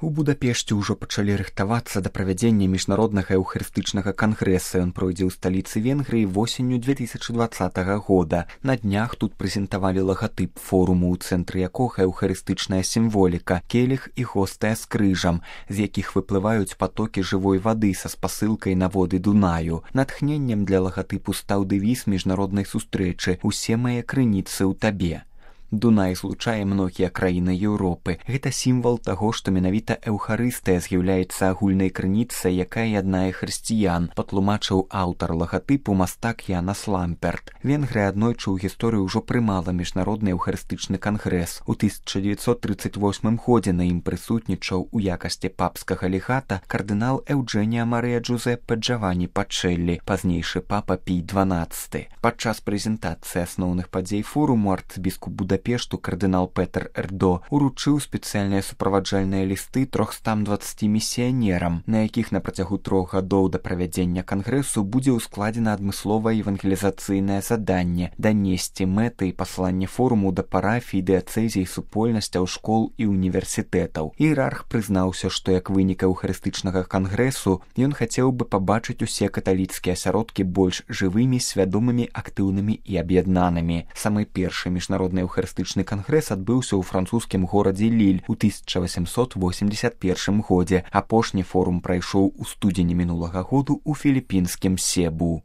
У Будапешце ўжо пачалі рыхтавацца да правядзення міжнароднага эўхарыстычнага кангрэса. Ён пройдзе ў сталіцы Венгрыі восенню 2020 года. На днях тут прэзентавалі лагатып форуму, у цэнтры якога эўхарыстычная сімволіка, келіх і гостая з крыжам, з якіх выплываюць патокі жывой вады са спасылкай на воды Дунаю. Натхненнем для лагатыпу стаў дэвіз міжнароднай сустрэчы «Усе мае крыніцы ў табе». Дунай злучае многія краіны Еўропы. Гэта сімвал таго, што менавіта эўхарыстыя з'яўляецца агульнай крыніцай, якая яднае хрысціян, патлумачыў аўтар лагатыпу мастак Янас Ламперт. Венгрыя аднойчы ў гісторыі ўжо прымала міжнародны эўхарыстычны кангрэс. У 1938 годзе на ім прысутнічаў у якасці папскага легата кардынал Эўджэнія Марыя Джузеппе Джаванні Пачэллі, пазнейшы папа Пій XII. Падчас прэзентацыі асноўных падзей форуму арцыбіскуп Будапешту кардынал Петер Эрдо уручыў спецыяльныя суправаджальныя лісты 320 місіянерам, на якіх на працягу 3 гадоў да правядзення кангрэсу будзе ўскладзена адмысловае евангелізацыйнае заданне данесці мэты і пасланне форуму да парафій, дыяцэзій, супольнасцяў, школ і універсітэтаў. Іерарх прызнаўся, што як вынік эўхарыстычнага кангрэсу ён хацеў бы пабачыць усе каталіцкія асяродкі больш жывымі, свядомымі, актыўнымі і аб'яднанымі. Самы першы міжнародны эўхарыстычны кангрэс адбыўся ў французскім горадзе Ліль у 1881 годзе. Апошні форум прайшоў у студзені мінулага году ў філіпінскім Себу.